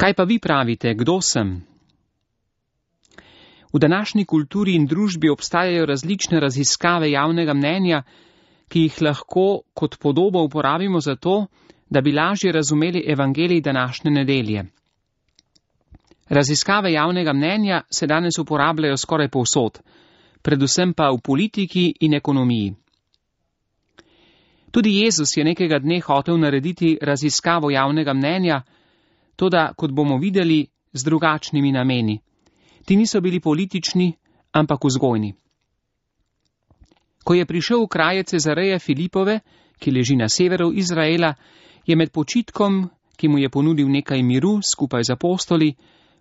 Kaj pa vi pravite, kdo sem? V današnji kulturi in družbi obstajajo različne raziskave javnega mnenja, ki jih lahko kot podobo uporabimo za to, da bi lažje razumeli evangelij današnje nedelje. Raziskave javnega mnenja se danes uporabljajo skoraj povsod, predvsem pa v politiki in ekonomiji. Tudi Jezus je nekega dne hotel narediti raziskavo javnega mnenja, toda, kot bomo videli, z drugačnimi nameni. Ti niso bili politični, ampak vzgojni. Ko je prišel v kraje Cezareje Filipove, ki leži na severu Izraela, je med počitkom, ki mu je ponudil nekaj miru skupaj z apostoli,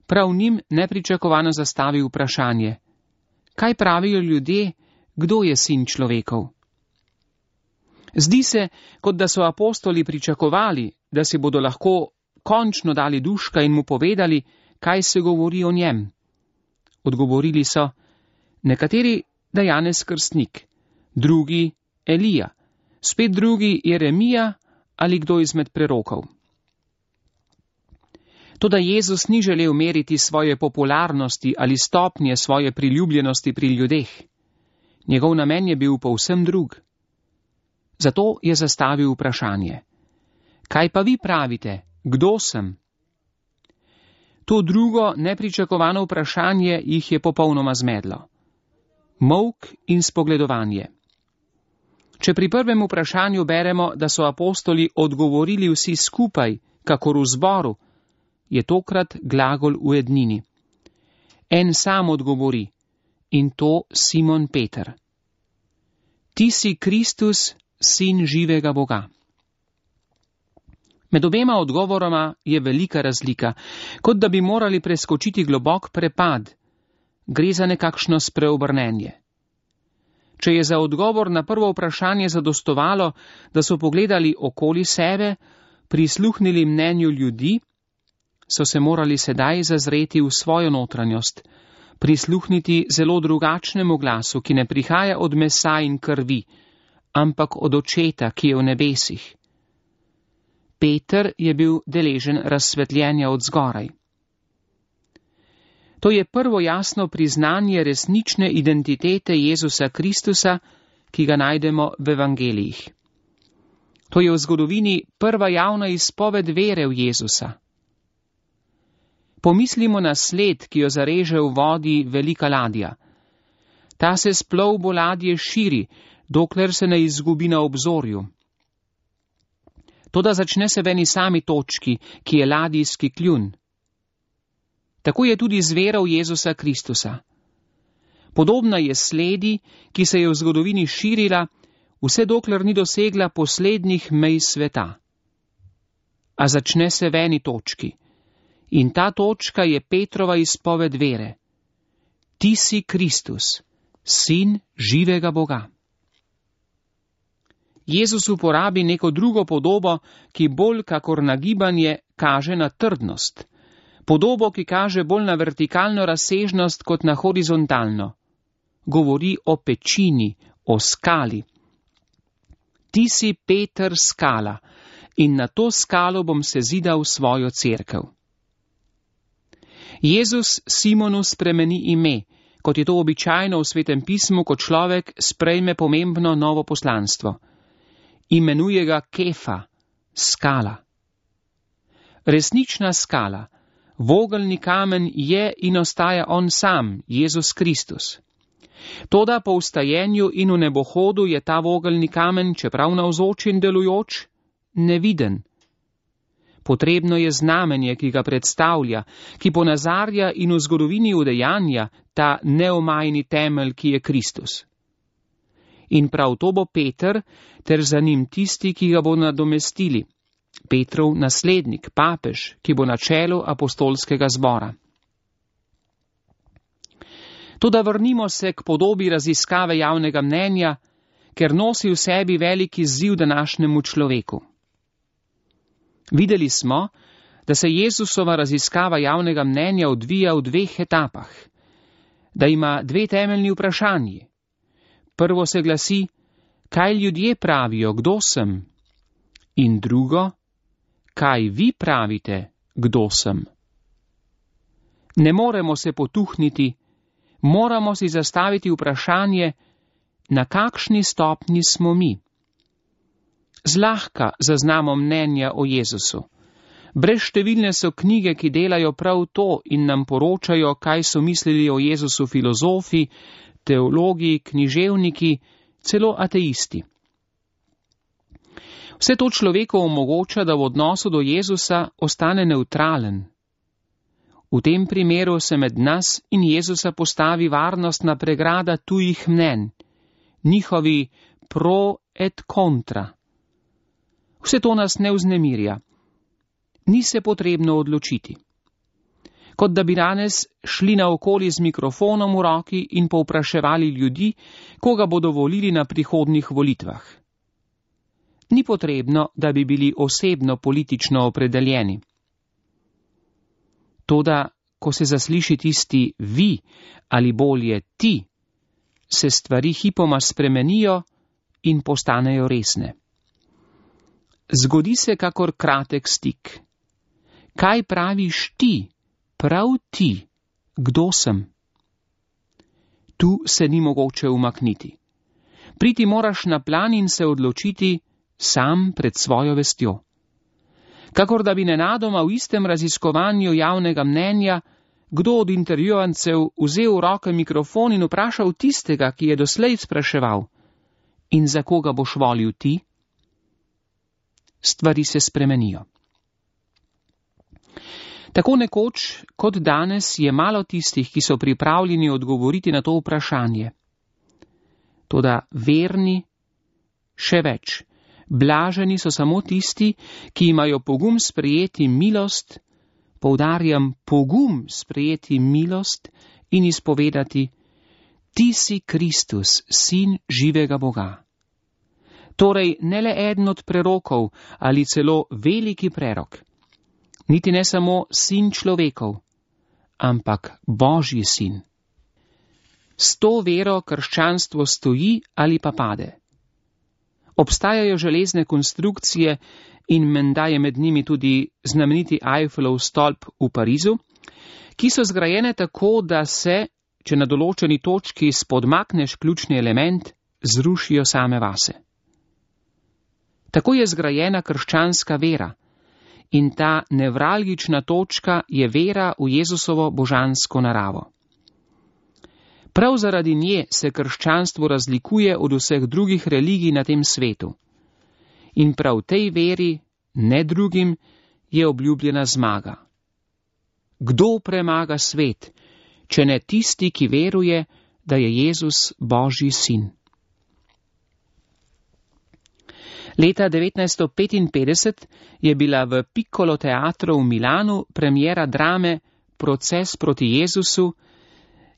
prav njim nepričakovano zastavil vprašanje: kaj pravijo ljudje, kdo je sin človekov? Zdi se, kot da so apostoli pričakovali, da si bodo lahko končno dali duška in mu povedali, kaj se govori o njem. Odgovorili so: nekateri, da Janez Krstnik, drugi Elija, spet drugi Jeremija ali kdo izmed prerokov. Toda Jezus ni želel meriti svoje popularnosti ali stopnje svoje priljubljenosti pri ljudeh. Njegov namen je bil povsem drug. Zato je zastavil vprašanje: kaj pa vi pravite, kdo sem? To drugo, nepričakovano vprašanje jih je popolnoma zmedlo. Molk in spogledovanje. Če pri prvem vprašanju beremo, da so apostoli odgovorili vsi skupaj, kakor v zboru, je tokrat glagol v ednini. En sam odgovori, in to Simon Peter. Ti si Kristus, sin živega Boga. Med obema odgovoroma je velika razlika, kot da bi morali preskočiti globok prepad. Gre za nekakšno spreobrnenje. Če je za odgovor na prvo vprašanje zadostovalo, da so pogledali okoli sebe, prisluhnili mnenju ljudi, so se morali sedaj zazreti v svojo notranjost, prisluhniti zelo drugačnemu glasu, ki ne prihaja od mesa in krvi, ampak od Očeta, ki je v nebesih. Peter je bil deležen razsvetljenja od zgoraj. To je prvo jasno priznanje resnične identitete Jezusa Kristusa, ki ga najdemo v evangelijih. To je v zgodovini prva javna izpoved vere v Jezusa. Pomislimo na sled, ki jo zareže v vodi velika ladja. Ta se s plovbo ladje širi, dokler se ne izgubi na obzorju. Toda začne se v eni sami točki, ki je ladijski kljun. Tako je tudi z vero v Jezusa Kristusa. Podobna je sledi, ki se je v zgodovini širila, vse dokler ni dosegla poslednjih mej sveta. A začne se v eni točki. In ta točka je Petrova izpoved vere. Ti si Kristus, sin živega Boga. Jezus uporabi neko drugo podobo, ki bolj kakor nagibanje kaže na trdnost. Podobo, ki kaže bolj na vertikalno razsežnost kot na horizontalno. Govori o pečini, o skali. Ti si Peter skala in na to skalo bom sezidal svojo cerkev. Jezus Simonu spremeni ime, kot je to običajno v Svetem pismu, ko človek sprejme pomembno novo poslanstvo. Imenuje ga Kefa, skala. Resnična skala, vogelni kamen je in ostaja on sam, Jezus Kristus. Toda po vstajenju in v nebohodu je ta vogelni kamen, čeprav navzoč in delujoč, neviden. Potrebno je znamenje, ki ga predstavlja, ki ponazarja in v zgodovini udejanja ta neomajni temelj, ki je Kristus. In prav to bo Peter, ter za njim tisti, ki ga bo nadomestili, Petrov naslednik, papež, ki bo na čelu apostolskega zbora. Toda vrnimo se k podobi raziskave javnega mnenja, ker nosi v sebi veliki izziv današnjemu človeku. Videli smo, da se Jezusova raziskava javnega mnenja odvija v dveh etapah, da ima dve temeljni vprašanji. Prvo se glasi, kaj ljudje pravijo, kdo sem? In drugo, kaj vi pravite, kdo sem? Ne moremo se potuhniti, moramo si zastaviti vprašanje, na kakšni stopni smo mi. Zlahka zaznamo mnenja o Jezusu. Brezštevilne so knjige, ki delajo prav to in nam poročajo, kaj so mislili o Jezusu filozofi, teologi, književniki, celo ateisti. Vse to človeku omogoča, da v odnosu do Jezusa ostane nevtralen. V tem primeru se med nas in Jezusa postavi varnostna pregrada tujih mnenj, njihovi pro et contra. Vse to nas ne vznemirja. Ni se potrebno odločiti. Kot da bi danes šli naokoli z mikrofonom v roki in povpraševali ljudi, koga bodo volili na prihodnjih volitvah. Ni potrebno, da bi bili osebno politično opredeljeni. Toda, ko se zasliši tisti vi ali bolje ti, se stvari hipoma spremenijo in postanejo resne. Zgodi se kakor kratek stik. Kaj praviš ti, prav ti, kdo sem? Tu se ni mogoče umakniti. Priti moraš na plan in se odločiti sam pred svojo vestjo. Kakor da bi nenadoma v istem raziskovanju javnega mnenja kdo od intervjuvancev vzel v roke mikrofon in vprašal tistega, ki je doslej spraševal: in za koga boš volil ti? Stvari se spremenijo. Tako nekoč kot danes je malo tistih, ki so pripravljeni odgovoriti na to vprašanje. Toda verni, še več, blaženi so samo tisti, ki imajo pogum sprejeti milost, poudarjam pogum sprejeti milost in izpovedati: ti si Kristus, sin živega Boga. Torej ne le eden od prerokov ali celo veliki prerok, niti ne samo sin človekov, ampak Božji sin. S to vero krščanstvo stoji ali pa pade. Obstajajo železne konstrukcije in menda je med njimi tudi znameniti Eiffelov stolp v Parizu, ki so zgrajene tako, da se, če na določeni točki spodmakneš ključni element, zrušijo same vase. Tako je zgrajena krščanska vera in ta nevralgična točka je vera v Jezusovo božansko naravo. Prav zaradi nje se krščanstvo razlikuje od vseh drugih religij na tem svetu. In prav tej veri, ne drugim, je obljubljena zmaga. Kdo premaga svet, če ne tisti, ki veruje, da je Jezus Božji sin? Leta 1955 je bila v Piccolo teatru v Milanu premiera drame Proces proti Jezusu,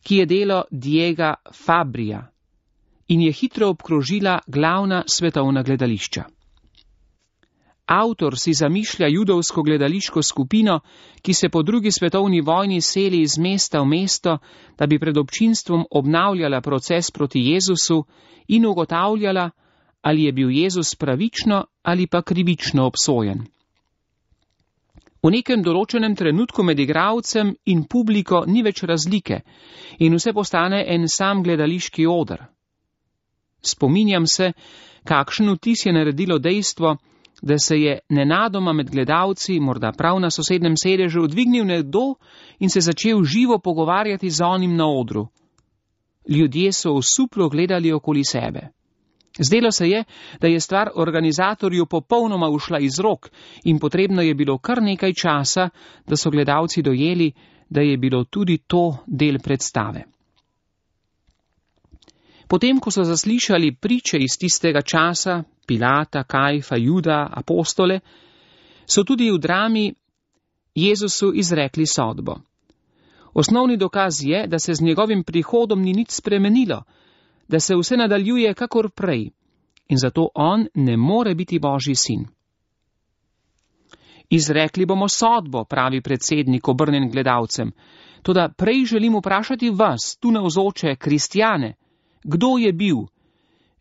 ki je delo Diega Fabrija in je hitro obkrožila glavna svetovna gledališča. Avtor si zamišlja judovsko gledališko skupino, ki se po drugi svetovni vojni seli iz mesta v mesto, da bi pred občinstvom obnavljala proces proti Jezusu in ugotavljala, ali je bil Jezus pravično ali pa krivično obsojen. V nekem določenem trenutku med igralcem in publiko ni več razlike in vse postane en sam gledališki oder. Spominjam se, kakšen vtis je naredilo dejstvo, da se je nenadoma med gledalci, morda prav na sosednjem sedežu, dvignil nekdo in se začel živo pogovarjati z onim na odru. Ljudje so osuplo gledali okoli sebe. Zdelo se je, da je stvar organizatorju popolnoma ušla iz rok in potrebno je bilo kar nekaj časa, da so gledalci dojeli, da je bilo tudi to del predstave. Potem, ko so zaslišali priče iz tistega časa, Pilata, Kajfa, Juda, apostole, so tudi v drami Jezusu izrekli sodbo. Osnovni dokaz je, da se z njegovim prihodom ni nič spremenilo, da se vse nadaljuje kakor prej in zato on ne more biti Božji sin. Izrekli bomo sodbo, pravi predsednik obrnjen gledalcem, toda prej želim vprašati vas, tu navzoče kristjane, kdo je bil,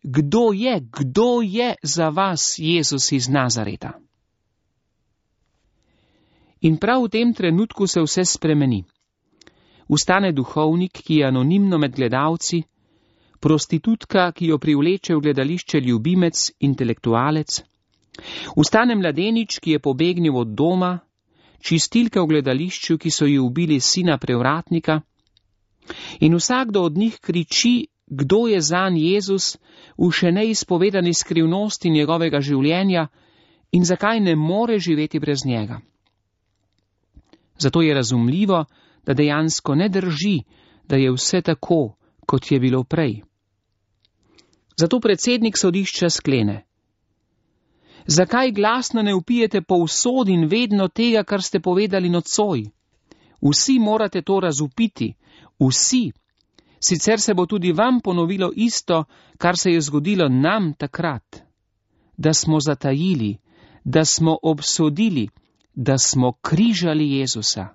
kdo je za vas Jezus iz Nazareta? In prav v tem trenutku se vse spremeni. vstane duhovnik, ki je anonimno med gledalci, prostitutka, ki jo privleče v gledališče ljubimec, intelektualec, vstane mladenič, ki je pobegnil od doma, čistilka v gledališču, ki so ji ubili sina prevratnika, in vsakdo od njih kriči, kdo je zanj Jezus v še neizpovedani skrivnosti njegovega življenja in zakaj ne more živeti brez njega. Zato je razumljivo, da dejansko ne drži, da je vse tako, kot je bilo prej. Zato predsednik sodišča sklene: zakaj glasno ne vpijete povsod in vedno tega, kar ste povedali nocoj? Vsi morate to razvpiti, vsi. Sicer se bo tudi vam ponovilo isto, kar se je zgodilo nam takrat. Da smo zatajili, da smo obsodili, da smo križali Jezusa.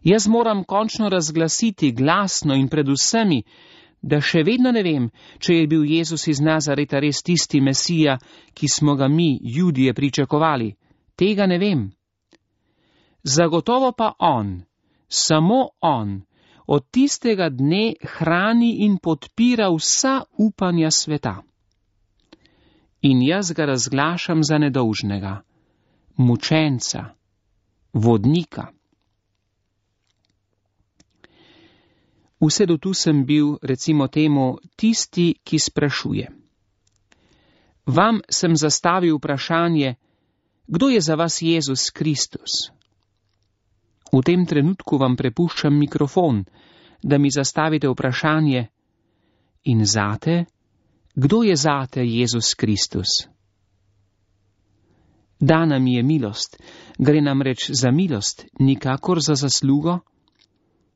Jaz moram končno razglasiti glasno in pred vsemi, da še vedno ne vem, če je bil Jezus iz Nazareta res tisti Mesija, ki smo ga mi, Judije, pričakovali. Tega ne vem. Zagotovo pa on, samo on, od tistega dne hrani in podpira vsa upanja sveta. In jaz ga razglašam za nedolžnega, mučenca, vodnika. Vse do tu sem bil, recimo temu, tisti, ki sprašuje. Vam sem zastavil vprašanje, kdo je za vas Jezus Kristus? V tem trenutku vam prepuščam mikrofon, da mi zastavite vprašanje: in zate, kdo je zate Jezus Kristus? Dana mi je milost, gre namreč za milost, nikakor za zaslugo,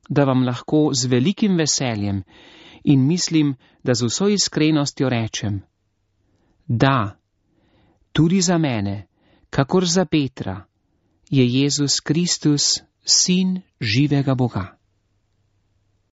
da vam lahko z velikim veseljem in mislim, da z vso iskrenostjo rečem: da, tudi za mene, kakor za Petra, je Jezus Kristus Sin živega Boga.